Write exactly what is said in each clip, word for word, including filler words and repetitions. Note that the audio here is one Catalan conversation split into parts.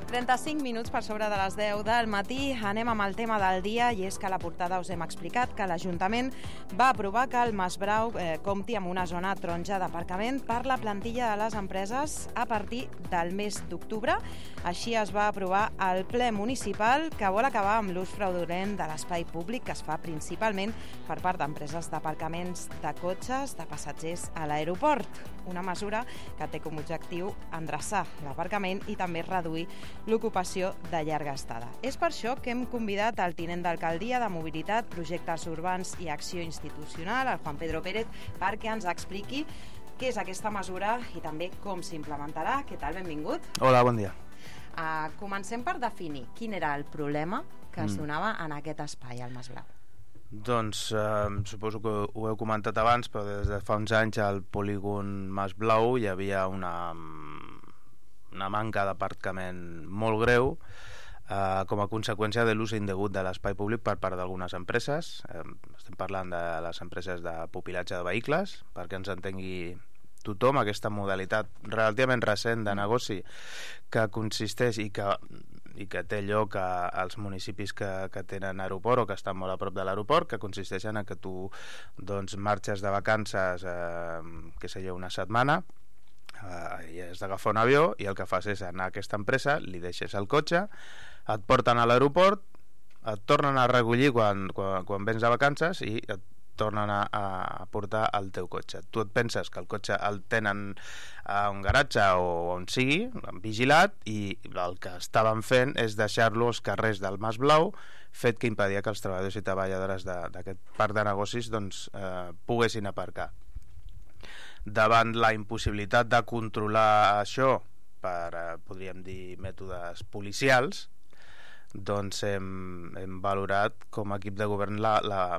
trenta-cinc minuts per sobre de les deu del matí. Anem amb el tema del dia, i és que a la portada us hem explicat que l'Ajuntament va aprovar que el Masbrau eh, compti amb una zona taronja d'aparcament per la plantilla de les empreses a partir del mes d'octubre. Així es va aprovar el ple municipal, que vol acabar amb l'ús fraudulent de l'espai públic que es fa principalment per part d'empreses d'aparcaments de cotxes de passatgers a l'aeroport. Una mesura que té com a objectiu endreçar l'aparcament i també reduir l'ocupació de llarga estada. És per això que hem convidat el tinent d'alcaldia de Mobilitat, Projectes Urbans i Acció Institucional, el Juan Pedro Pérez, perquè ens expliqui què és aquesta mesura i també com s'implementarà. Què tal? Benvingut. Hola, bon dia. Uh, comencem per definir quin era el problema que es donava en aquest espai, al Masblau. Doncs eh, suposo que ho heu comentat abans, però des de fa uns anys al polígon Masblau hi havia una, una manca d'aparcament molt greu eh, com a conseqüència de l'ús indegut de l'espai públic per part d'algunes empreses. Eh, estem parlant de les empreses de pupilatge de vehicles, perquè ens entengui tothom, aquesta modalitat relativament recent de negoci que consisteix i que, i que té lloc a, als municipis que, que tenen aeroport o que estan molt a prop de l'aeroport, que consisteixen en que tu doncs, marxes de vacances eh, que sé jo, una setmana, eh, i has d'agafar un avió i el que fas és anar a aquesta empresa, li deixes el cotxe, et porten a l'aeroport, et tornen a recollir quan, quan, quan vens de vacances i et tornen a, a portar el teu cotxe. Tu et penses que el cotxe el tenen a un garatge o on sigui, vigilat, i el que estaven fent és deixar-lo als carrers del Masblau, fet que impedia que els treballadors i treballadores d'aquest parc de negocis doncs, eh, poguessin aparcar. Davant la impossibilitat de controlar això per, eh, podríem dir, mètodes policials, doncs hem, hem valorat com a equip de govern la, la,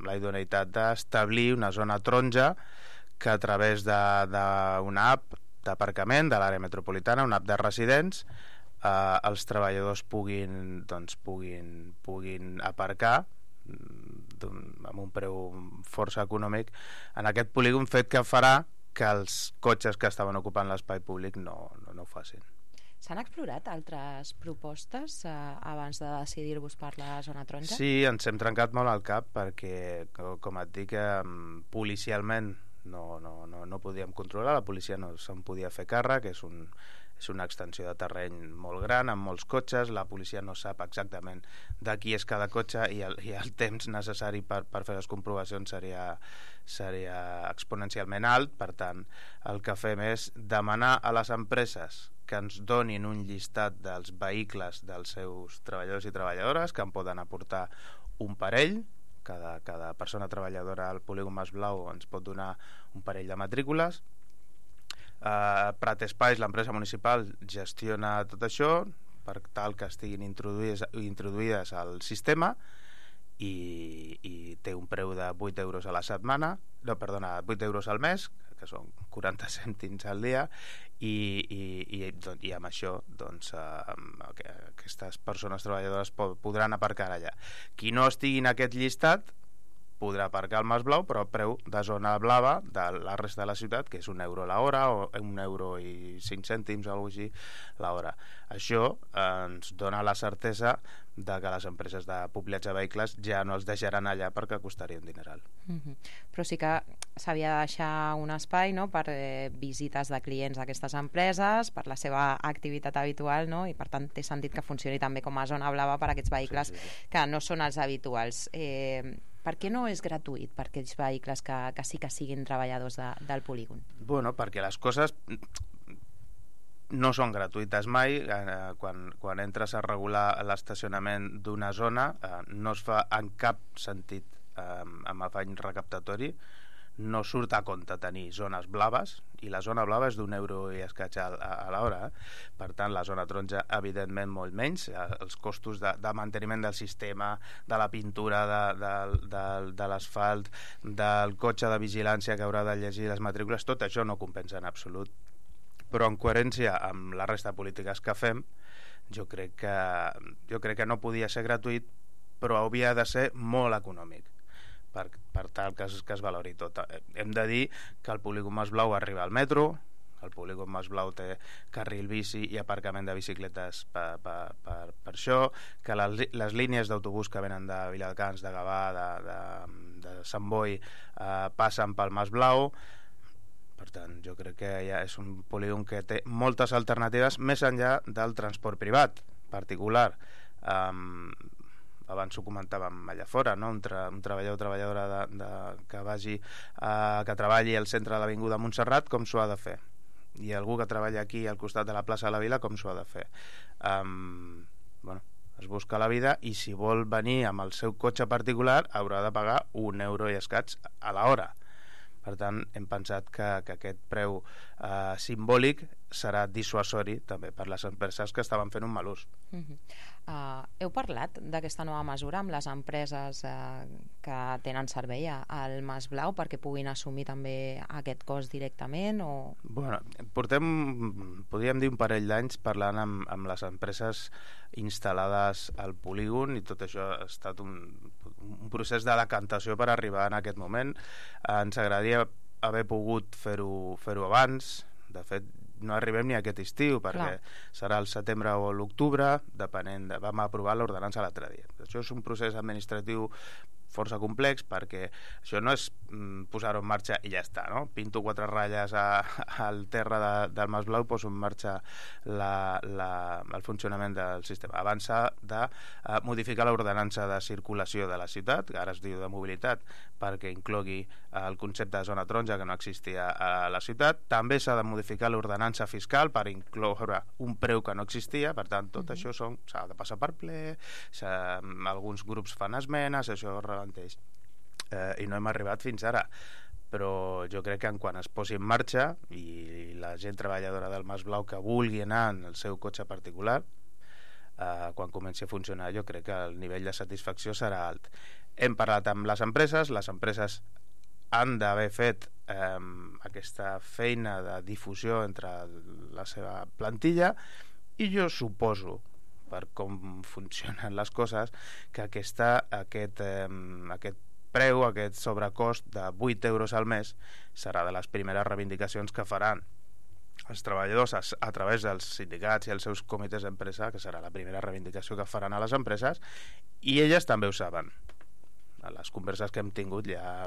la idoneïtat d'establir una zona taronja que a través d'una app d'aparcament de l'àrea metropolitana, una app de residents, eh, els treballadors puguin, doncs, puguin, puguin aparcar amb un preu força econòmic en aquest polígon, fet que farà que els cotxes que estaven ocupant l'espai públic no, no, no ho facin. S'han explorat altres propostes eh, abans de decidir-vos per la zona taronja? Sí, ens hem trencat molt al cap perquè, com et dic, eh, policialment no, no, no, no podíem controlar, la policia no se'n podia fer càrrec, és, un, és una extensió de terreny molt gran, amb molts cotxes, la policia no sap exactament de qui és cada cotxe i el, i el temps necessari per, per fer les comprovacions seria, seria exponencialment alt. Per tant, el que fem és demanar a les empreses que ens donin un llistat dels vehicles dels seus treballadors i treballadores, que en poden aportar un parell, cada, cada persona treballadora al polígon Masblau ens pot donar un parell de matrícules. Uh, Prat Espais, l'empresa municipal, gestiona tot això per tal que estiguin introduïdes, introduïdes al sistema i, i té un preu de vuit euros a la setmana, no, perdona, vuit euros al mes, que són quaranta cèntims al dia, i, i, i, doncs, i amb això doncs, eh, aquestes persones treballadores podran aparcar allà. Qui no estigui en aquest llistat podrà aparcar al Masblau, però a preu de zona blava de la resta de la ciutat, que és un euro l'hora o un euro i cinc cèntims o alguna cosa així l'hora. Això eh, ens dona la certesa de que les empreses de pupilatge de vehicles ja no els deixaran allà perquè costaria un dineral. Mm-hmm. Però sí que s'havia de deixar un espai, no?, per eh, visites de clients d'aquestes empreses, per la seva activitat habitual, no?, i per tant té sentit que funcioni també com a zona blava per a aquests vehicles sí, sí, sí. que no són els habituals. Eh, per què no és gratuït per aquells vehicles que, que sí que siguin treballadors de, del polígon? Bueno, perquè les coses no són gratuïtes mai. Eh, quan, quan entres a regular l'estacionament d'una zona eh, no es fa en cap sentit eh, amb afany recaptatori, no surt a compte tenir zones blaves, i la zona blava és d'un euro i escaig a, a, a l'hora, eh? Per tant la zona taronja evidentment molt menys, eh, els costos de, de manteniment del sistema, de la pintura de, de, de, de l'asfalt, del cotxe de vigilància que haurà de llegir les matrícules, tot això no compensa en absolut. Però en coherència amb la resta de polítiques que fem, jo crec que, jo crec que no podia ser gratuït, però hauria de ser molt econòmic. Per, per tal que es, que es valori tot. Hem de dir que el polígon Masblau arriba al metro, El polígon Mas Blau té carril bici i aparcament de bicicletes per, per, per, per això, que les, les línies d'autobús que venen de Viladecans, de Gavà, de, de, de Sant Boi, eh, passen pel Mas Blau. Per tant, jo crec que ja és un polígon que té moltes alternatives més enllà del transport privat particular. Um, abans ho comentàvem allà fora, no? un, tra un treballador o treballadora de, de, que vagi uh, que treballi al centre de l'avinguda Montserrat, com s'ho ha de fer, i algú que treballa aquí al costat de la plaça de la Vila, com s'ho ha de fer. Um, bueno, es busca la vida, i si vol venir amb el seu cotxe particular haurà de pagar un euro i escaig a l'hora. Per tant, hem pensat que, que aquest preu eh, simbòlic serà dissuasori també per les empreses que estaven fent un mal ús. Uh-huh. uh, heu parlat d'aquesta nova mesura amb les empreses uh, que tenen servei al Mas Blau perquè puguin assumir també aquest cost directament? O... Bueno, portem, podríem dir, un parell d'anys parlant amb, amb les empreses instal·lades al polígon, i tot això ha estat un, un procés de decantació per arribar en aquest moment. Eh, ens agradaria haver pogut fer-ho fer-ho abans. De fet, no arribem ni a aquest estiu, perquè Clar. serà el setembre o l'octubre, depenent de... Vam aprovar l'ordenança l'altre dia. Això és un procés administratiu força complex, perquè això no és mm, posar-ho en marxa i ja està, no? Pinto quatre ratlles a, al terra de, del Mas Blau, poso en marxa la, la, el funcionament del sistema. Abans s'ha de uh, modificar l'ordenança de circulació de la ciutat, que ara es diu de mobilitat, perquè inclogui uh, el concepte de zona taronja, que no existia a la ciutat. També s'ha de modificar l'ordenança fiscal per incloure un preu que no existia. Per tant, tot mm-hmm. això s'ha de passar per ple, alguns grups fan esmenes, això ralenteix, eh, i no hem arribat fins ara, però jo crec que en quan es posi en marxa i la gent treballadora del Mas Blau que vulgui anar en el seu cotxe particular, eh, quan comenci a funcionar, jo crec que el nivell de satisfacció serà alt. Hem parlat amb les empreses, les empreses han d'haver fet eh, aquesta feina de difusió entre la seva plantilla, i jo suposo, per com funcionen les coses, que aquesta, aquest, eh, aquest preu, aquest sobrecost de vuit euros al mes serà de les primeres reivindicacions que faran els treballadors a, a través dels sindicats i els seus comitès d'empresa, que serà la primera reivindicació que faran a les empreses, i elles també ho saben. A les converses que hem tingut ja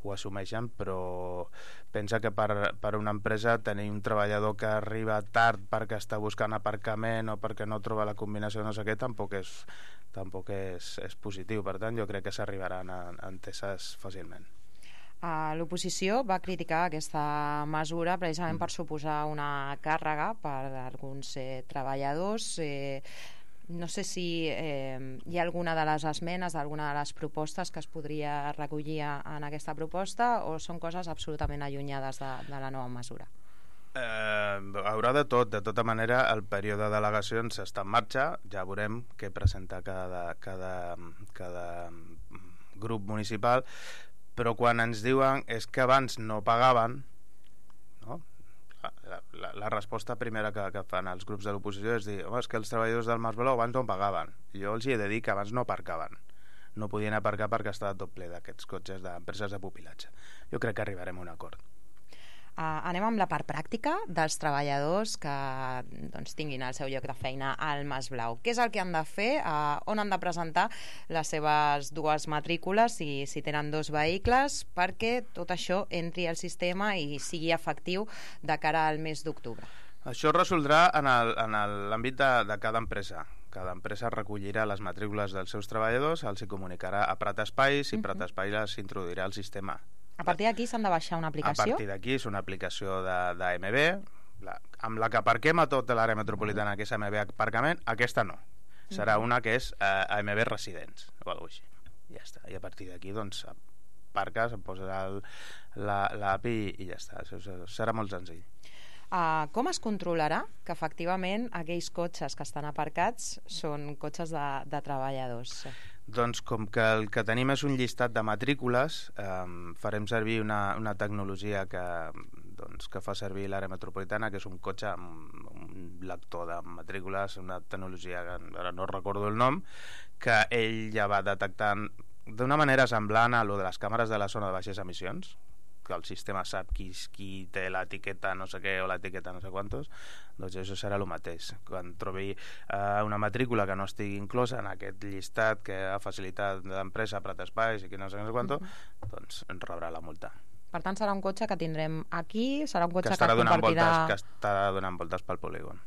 ho assumeixen, però pensa que per, per una empresa tenir un treballador que arriba tard perquè està buscant aparcament o perquè no troba la combinació no sé què, tampoc és, tampoc és, és positiu. Per tant, jo crec que s'arribaran a, a enteses fàcilment. Uh, L'oposició va criticar aquesta mesura precisament mm. per suposar una càrrega per a alguns eh, treballadors. Eh, No sé si eh, hi ha alguna de les esmenes, alguna de les propostes que es podria recollir en aquesta proposta, o són coses absolutament allunyades de, de la nova mesura? Eh, haurà de tot. De tota manera, el període de delegacions està en marxa. Ja veurem què presenta cada, cada, cada grup municipal, però quan ens diuen és que abans no pagaven, no? La, la, la resposta primera que, que fan els grups de l'oposició és dir, home, és que els treballadors del Mas Blau abans no pagaven. Jo els hi he de dir que abans no aparcaven. No podien aparcar perquè estava tot ple d'aquests cotxes d'empreses de pupilatge. Jo crec que arribarem a un acord. Uh, anem amb la part pràctica dels treballadors que doncs, tinguin el seu lloc de feina al Mas Blau. Què és el que han de fer? Uh, on han de presentar les seves dues matrícules, si, si tenen dos vehicles, perquè tot això entri al sistema i sigui efectiu de cara al mes d'octubre? Això es resoldrà en l'àmbit de, de cada empresa. Cada empresa recollirà les matrícules dels seus treballadors, els hi comunicarà a Prat Espai, si Prat Espai les introduirà al sistema. A partir d'aquí s'han de baixar una aplicació? A partir d'aquí és una aplicació d'A M B, la, amb la que aparquem a tota l'àrea metropolitana, que és A M B Aparcament. Aquesta no. Serà una que és uh, A M B Residents, o alguna cosa així. Ja està. I a partir d'aquí, doncs, aparques, em poses l'A P I i ja està. Això serà molt senzill. Uh, com es controlarà que efectivament aquells cotxes que estan aparcats són cotxes de, de treballadors? Doncs com que el que tenim és un llistat de matrícules, eh, farem servir una, una tecnologia que, doncs, que fa servir l'àrea metropolitana, que és un cotxe amb un lector de matrícules, una tecnologia que ara no recordo el nom, que ell ja va detectant d'una manera semblant a lo de les càmeres de la zona de baixes emissions, que el sistema sap qui, qui té l'etiqueta no sé què o l'etiqueta no sé quantos, doncs això serà el mateix. Quan trobi eh, una matrícula que no estigui inclosa en aquest llistat que ha facilitat l'empresa Prat Espais i que no sé, no sé quanto, uh-huh. doncs ens rebrà la multa. Per tant, serà un cotxe que tindrem aquí, serà un cotxe que, que, que compartirà... Voltes, que estarà donant voltes pel polígon.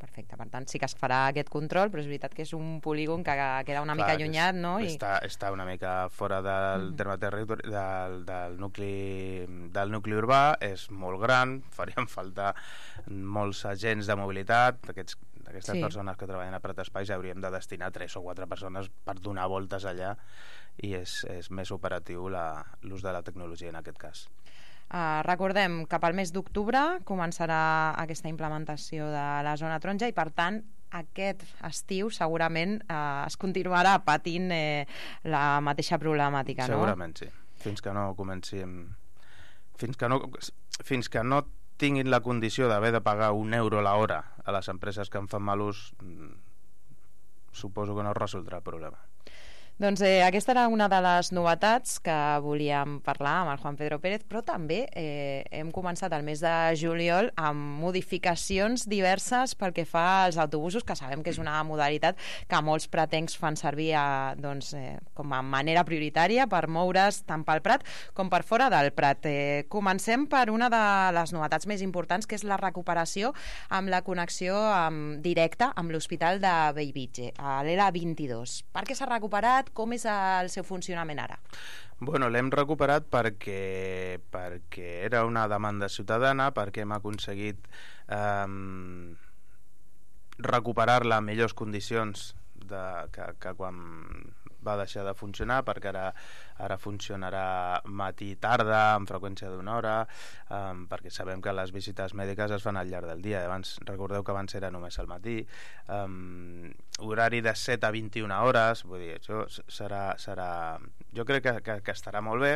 Perfecte, per tant sí que es farà aquest control, però és veritat que és un polígon que queda una Clar, mica allunyat, no? I... Està, està una mica fora del mm. terme territori del, del, nucli, del nucli urbà, és molt gran, farien falta molts agents de mobilitat, d'aquests d'aquestes sí. persones que treballen a Prat Espais hauríem de destinar tres o quatre persones per donar voltes allà i és, és més operatiu l'ús de la tecnologia en aquest cas. Uh, recordem que pel mes d'octubre començarà aquesta implementació de la zona taronja i per tant aquest estiu segurament uh, es continuarà patint eh, la mateixa problemàtica, no? Segurament sí, fins que no comencin fins que no, fins que no tinguin la condició d'haver de pagar un euro l'hora a les empreses que en fan mal ús, suposo que no es resoldrà el problema. Doncs eh, aquesta era una de les novetats que volíem parlar amb el Juan Pedro Pérez, però també eh, hem començat el mes de juliol amb modificacions diverses pel que fa als autobusos, que sabem que és una modalitat que molts pratencs fan servir a, doncs, eh, com a manera prioritària per moure's tant pel Prat com per fora del Prat. Eh, comencem per una de les novetats més importants, que és la recuperació amb la connexió amb, directa amb l'Hospital de Bellvitge, a l'E L A vint-i-dos. Per què s'ha recuperat? Com és el seu funcionament ara? Bueno, l'hem recuperat perquè, perquè era una demanda ciutadana, perquè hem aconseguit eh, recuperar-la en millors condicions de, que, que quan va deixar de funcionar, perquè ara, ara funcionarà matí i tarda amb freqüència d'una hora, um, perquè sabem que les visites mèdiques es fan al llarg del dia. Abans, recordeu que abans era només al matí, um, horari de set a vint-i-una hores, vull dir, això serà, serà... jo crec que, que, que estarà molt bé.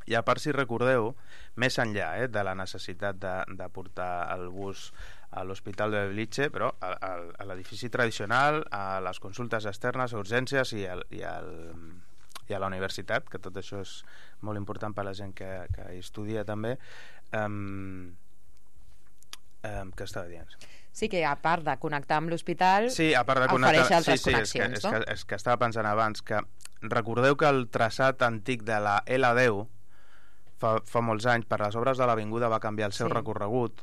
I a part, si recordeu, més enllà eh, de la necessitat de, de portar el bus a l'Hospital de Bellvitge, però a, a, a l'edifici tradicional, a les consultes externes, a urgències i, al, i, al, i a la universitat, que tot això és molt important per a la gent que, que hi estudia també. Um, um, què estava dient? Sí, que a part de connectar amb l'hospital, sí, a part de connectar, ofereix altres sí, sí, connexions, és que, no? És que, és que estava pensant abans que recordeu que el traçat antic de la L deu fa, fa molts anys, per les obres de l'avinguda va canviar el seu sí. recorregut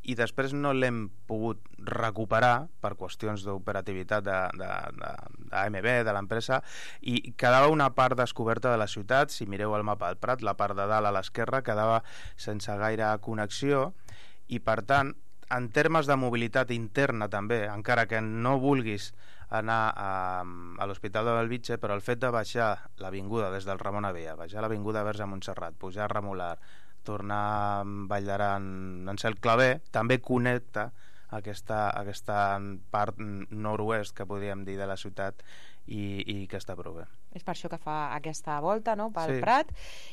i després no l'hem pogut recuperar per qüestions d'operativitat de, de, de, de A M B, de l'empresa, i quedava una part descoberta de la ciutat. Si mireu el mapa del Prat, la part de dalt a l'esquerra quedava sense gaire connexió i per tant, en termes de mobilitat interna també, encara que no vulguis anar a, a l'Hospital de Bellvitge, però el fet de baixar l'avinguda des del Ramon Avella, baixar l'avinguda Verge Montserrat, pujar a Remolar, tornar a Vall d'Aran en Cel Claver, també connecta aquesta, aquesta part nord-oest que podríem dir de la ciutat i, i que està prou bé. És per això que fa aquesta volta, no?, pel sí. Prat,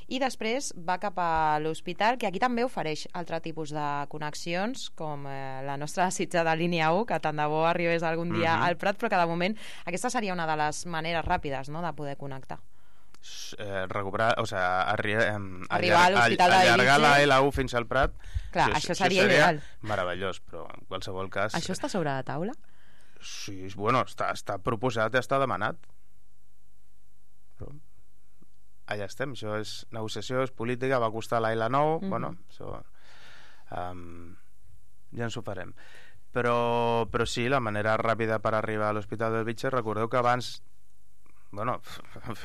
i després va cap a l'hospital, que aquí també ofereix altre tipus de connexions, com eh, la nostra sitja de línia u, que tant de bo arribés algun dia mm-hmm. al Prat, però que de moment aquesta seria una de les maneres ràpides, no?, de poder connectar. Eh, recuperar, o sigui, arri eh, arribar a l'Hospital de Bellvitge, allargar la L u fins al Prat. Clar, això, això seria, això seria ideal. Meravellós, però en qualsevol cas... Això està sobre la taula? Sí, bueno, està, està proposat i està demanat. Però allà estem, això és negociació, és política, va costar la L nou, mm-hmm. bueno, això um, ja ens ho farem. Però, però sí, la manera ràpida per arribar a l'Hospital de Bellvitge, recordeu que abans bueno,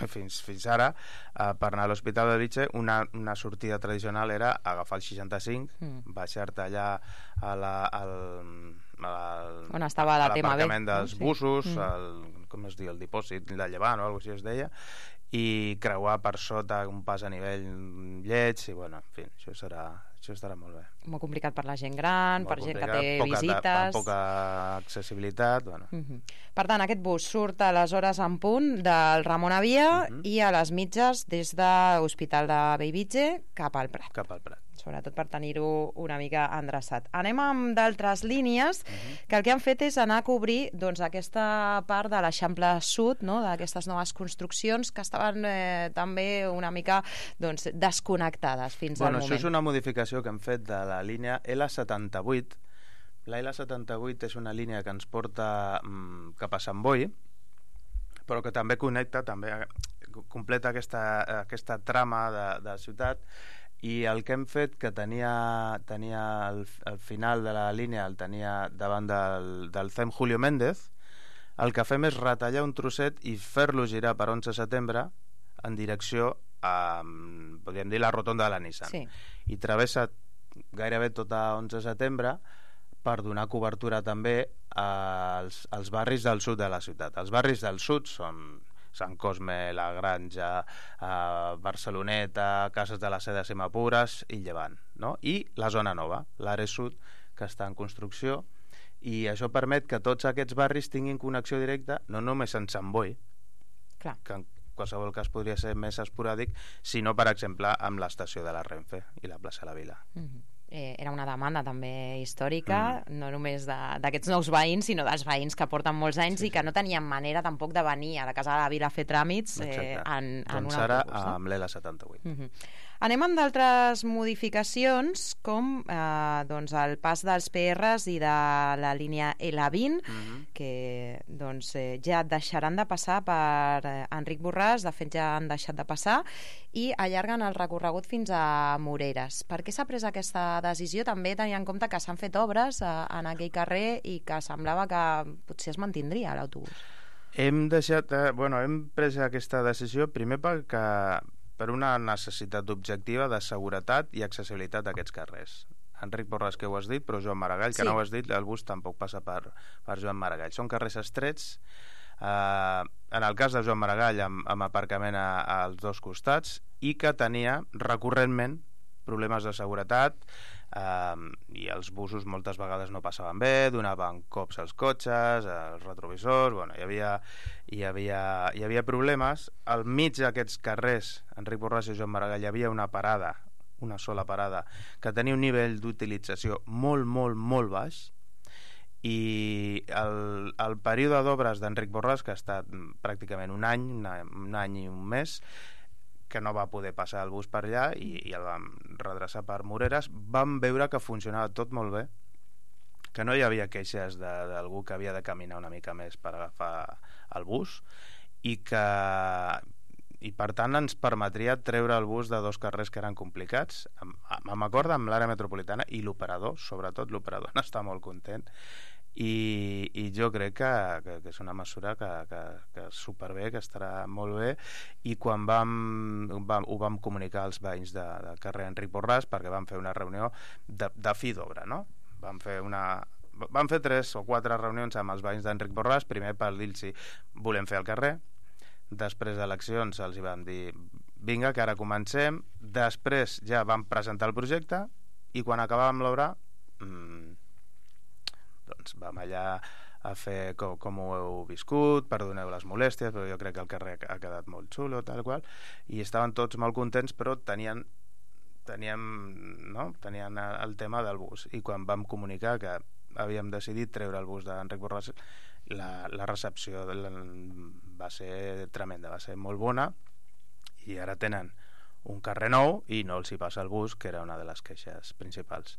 fins, fins ara eh, per anar a l'Hospital de Bellvitge una, una sortida tradicional era agafar el seixanta-cinc, mm. baixar-te allà a la, al, al, on estava la l'aparcament dels no? busos, sí. mm. el, com es diu, el dipòsit de Llevant o alguna cosa així es deia, i creuar per sota un pas a nivell lleig i bueno, en fi, això serà això estarà molt bé. Molt complicat per la gent gran, molt per gent que té poca, visites... Amb poca accessibilitat, bueno. Uh-huh. Per tant, aquest bus surt a les hores en punt del Ramon Avella uh-huh. i a les mitges des de l'Hospital de Bellvitge cap al Prat. Cap al Prat. sobretot per tenir-ho una mica endreçat. Anem amb d'altres línies, uh-huh. que el que han fet és anar a cobrir doncs, aquesta part de l'Eixample Sud, no? D'aquestes noves construccions que estaven eh, també una mica doncs, desconnectades fins bueno, al moment. Això és una modificació que hem fet de la línia L setanta-vuit. La L setanta-vuit és una línia que ens porta mm, cap a Sant Boi, però que també connecta, també completa aquesta, aquesta trama de, de ciutat. I el que hem fet, que tenia, tenia el, el final de la línia, el tenia davant del, del C E M Julio Méndez, el que fem és retallar un trosset i fer-lo girar per onze de setembre en direcció a, podríem dir, la rotonda de la Nissan. Sí. I travessa gairebé tota onze de setembre per donar cobertura també als, als barris del sud de la ciutat. Els barris del sud són Sant Cosme, La Granja, eh, Barceloneta, Cases de la Seda, Simapures i Llevant, no? I la zona nova, l'Are Sud, que està en construcció, i això permet que tots aquests barris tinguin connexió directa, no només en Sant Boi, Clar. que en qualsevol cas podria ser més esporàdic, sinó, per exemple, amb l'estació de la Renfe i la plaça de la Vila. Mm-hmm. Eh, era una demanda també històrica, mm. no només d'aquests nous veïns, sinó dels veïns que porten molts anys sí, i que no tenien manera tampoc de venir a la Casa de la Vila a fer tràmits eh, en, en doncs un ara autobús. No? Amb l'L setanta-vuit. Mm-hmm. Anem amb d'altres modificacions, com eh, doncs el pas dels P Rs i de la línia L vint, mm-hmm. que doncs, eh, ja deixaran de passar per eh, Enric Borràs, de fet ja han deixat de passar, i allarguen el recorregut fins a Moreres. Per què s'ha pres aquesta decisió? També tenint en compte que s'han fet obres eh, en aquell carrer i que semblava que potser es mantindria l'autobús. Hem deixat, eh, bueno, hem pres aquesta decisió primer perquè per una necessitat objectiva de seguretat i accessibilitat d'aquests carrers. Enric Borràs, que ho has dit, però Joan Maragall, que sí. no ho has dit, el bus tampoc passa per, per Joan Maragall. Són carrers estrets, eh, en el cas de Joan Maragall, amb, amb aparcament a, als dos costats, i que tenia recurrentment problemes de seguretat, eh, i els busos moltes vegades no passaven bé, donaven cops als cotxes, als retrovisors, bueno, hi havia, hi havia, hi havia problemes. Al mig d'aquests carrers, Enric Borràs i Joan Maragall, hi havia una parada, una sola parada, que tenia un nivell d'utilització molt, molt, molt baix, i el, el període d'obres d'Enric Borràs, que ha estat pràcticament un any, una, un any i un mes, que no va poder passar el bus per allà i, i el vam redreçar per Moreres, vam veure que funcionava tot molt bé, que no hi havia queixes d'algú que havia de caminar una mica més per agafar el bus i que i per tant ens permetria treure el bus de dos carrers que eren complicats. Amb acord amb l'àrea metropolitana i l'operador, sobretot l'operador n'està molt content. I, i jo crec que, que, que és una mesura que, que, que és superbé, que estarà molt bé, i quan vam, vam, ho vam comunicar als veïns de, del carrer Enric Borràs, perquè vam fer una reunió de, de fi d'obra, no? Vam fer una... Vam fer tres o quatre reunions amb els veïns d'Enric Borràs, primer per dir-los si volem fer el carrer, després d'eleccions els hi vam dir vinga, que ara comencem, després ja vam presentar el projecte i quan acabàvem l'obra mmm, doncs vam allà a fer com, com ho heu viscut, perdoneu les molèsties, però jo crec que el carrer ha quedat molt xulo, tal qual, i estaven tots molt contents, però tenien teníem, no? tenien el tema del bus, i quan vam comunicar que havíem decidit treure el bus d'Enric Borràs, la, la recepció la, va ser tremenda, va ser molt bona, i ara tenen un carrer nou i no els hi passa el bus, que era una de les queixes principals.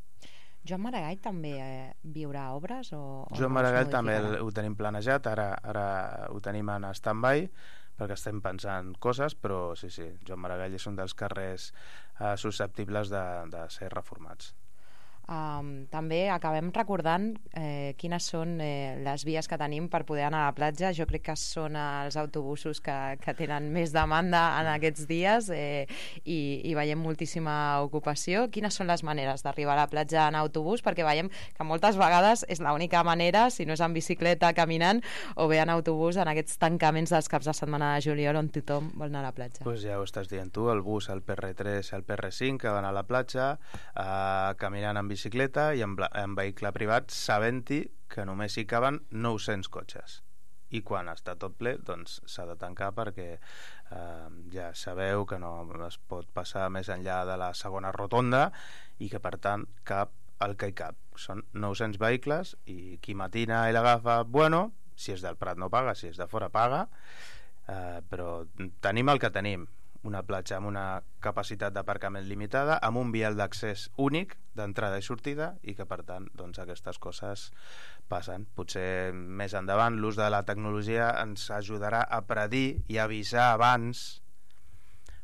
Joan Maragall també eh, viurà obres? O, o Joan Maragall també el, ho tenim planejat, ara, ara ho tenim en stand-by, perquè estem pensant coses, però sí, sí, Joan Maragall és un dels carrers eh, susceptibles de, de ser reformats. Um, també acabem recordant eh, quines són eh, les vies que tenim per poder anar a la platja. Jo crec que són els autobusos que, que tenen més demanda en aquests dies eh, i, i veiem moltíssima ocupació. Quines són les maneres d'arribar a la platja en autobús? Perquè veiem que moltes vegades és l'única manera, si no és en bicicleta, caminant, o bé en autobús en aquests tancaments dels caps de setmana de juliol on tothom vol anar a la platja. Pues ja ho estàs dient tu, el bus, el P R tres, el P R cinc que van a la platja eh, caminant en bicicleta i en, en vehicle privat, sabent-hi que només hi caben nou-cents cotxes i quan està tot ple doncs s'ha de tancar perquè eh, ja sabeu que no es pot passar més enllà de la segona rotonda i que per tant cap el que hi cap. Són nou-cents vehicles i qui matina i l'agafa, bueno, si és del Prat no paga, si és de fora paga, eh, però tenim el que tenim, una platja amb una capacitat d'aparcament limitada, amb un vial d'accés únic d'entrada i sortida, i que per tant doncs, aquestes coses passen. Potser més endavant l'ús de la tecnologia ens ajudarà a predir i avisar abans,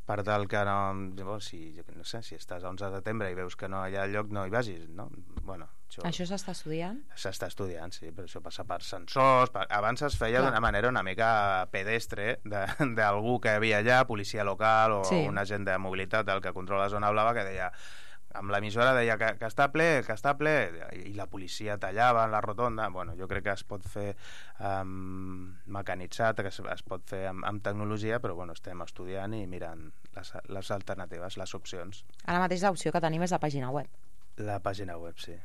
per tal que no, si, no sé, si estàs a onze de setembre i veus que no hi ha lloc, no hi vagis, no? Bueno, això això s'està estudiant? S'està estudiant, sí, però això passa per sensors. Per... Abans es feia d'una manera una mica pedestre d'algú que havia allà, policia local o sí. un agent de mobilitat, el que controla la zona blava, que deia, amb l'emissora deia que, que està ple, que està ple, i la policia tallava en la rotonda. Bueno, jo crec que es pot fer um, mecanitzat, que es, es pot fer amb, amb tecnologia, però bueno, estem estudiant i mirant les, les alternatives, les opcions. Ara mateix l'opció que tenim és la pàgina web. La pàgina web, sí.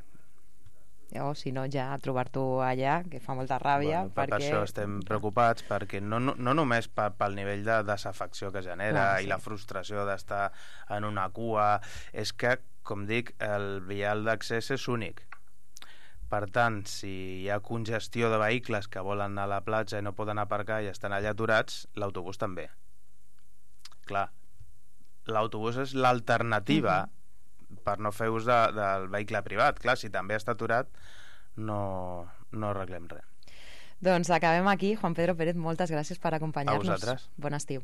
O si no, ja trobar-t'ho allà, que fa molta ràbia. Bueno, per, perquè... per això estem preocupats, perquè no, no, no només pel, pel nivell de desafecció que genera Clar, sí. i la frustració d'estar en una cua, és que, com dic, el vial d'accés és únic. Per tant, si hi ha congestió de vehicles que volen anar a la platja i no poden aparcar i estan allà aturats, l'autobús també. Clar, l'autobús és l'alternativa mm-hmm. per no fer ús de, del vehicle privat. Clar, si també està aturat, no, no arreglem res. Doncs acabem aquí. Juan Pedro Pérez, moltes gràcies per acompanyar-nos. A vosaltres. Bon estiu.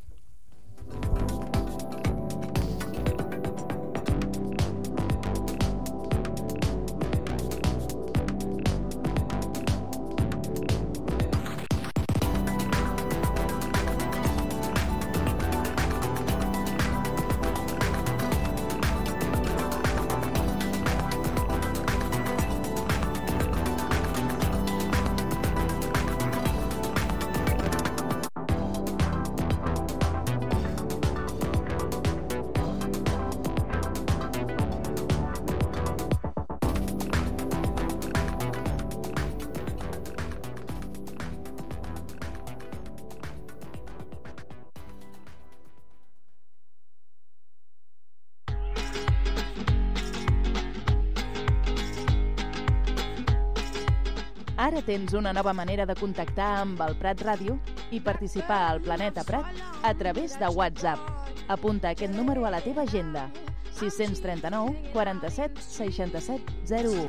Ara tens una nova manera de contactar amb el Prat Ràdio i participar al Planeta Prat a través de WhatsApp. Apunta aquest número a la teva agenda. sis tres nou, quaranta-set, seixanta-set, zero u.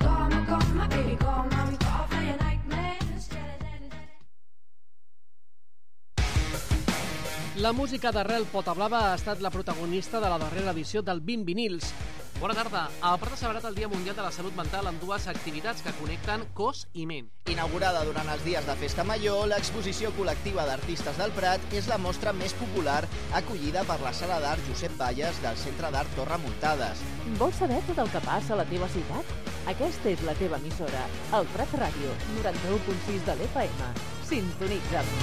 La música d'Arrel Potablava ha estat la protagonista de la darrera edició del vint vinils. Bona tarda. El Prat ha celebrat el Dia Mundial de la Salut Mental amb dues activitats que connecten cos i ment. Inaugurada durant els dies de Festa Major, l'exposició col·lectiva d'artistes del Prat és la mostra més popular acollida per la Sala d'Art Josep Valles del Centre d'Art Torre Muntades. Vols saber tot el que passa a la teva ciutat? Aquesta és la teva emissora, el Prat Ràdio, noranta-u punt sis de l'F M. Sintonitza'm.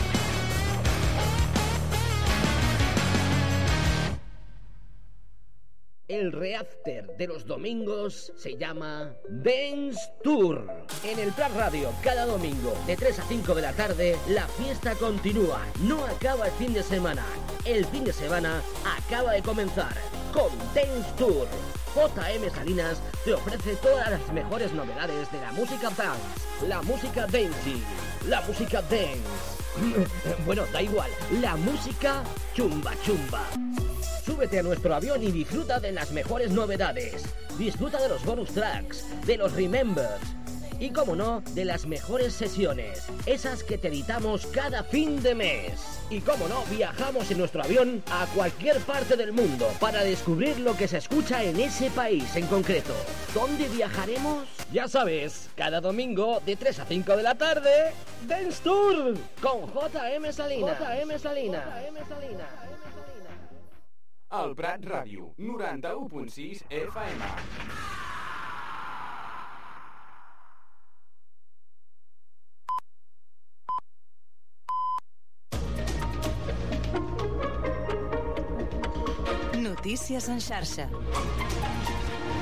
El reafter de los domingos se llama Dance Tour. En el Prat Radio, cada domingo, de tres a cinco de la tarde, la fiesta continúa. No acaba el fin de semana. El fin de semana acaba de comenzar con Dance Tour. J M Salinas te ofrece todas las mejores novedades de la música dance, la música dancing, la música dance. Bueno, da igual, la música chumba chumba. Súbete a nuestro avión y disfruta de las mejores novedades. Disfruta de los bonus tracks, de los remembers y, como no, de las mejores sesiones, esas que te editamos cada fin de mes. Y, como no, viajamos en nuestro avión a cualquier parte del mundo para descubrir lo que se escucha en ese país en concreto. ¿Dónde viajaremos? Ya sabes, cada domingo de tres a cinco de la tarde, Dance Tour con J M Salinas. J M Salinas. J M Salinas. El Prat Ràdio, noranta-u punt sis F M. Notícies en xarxa.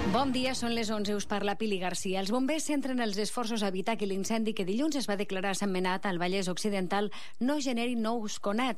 Bon dia, són les onze, us parla Pili Garcia. Els bombers centren els esforços a evitar que l'incendi que dilluns es va declarar a Sentmenat, al Vallès Occidental, no generi nous conats.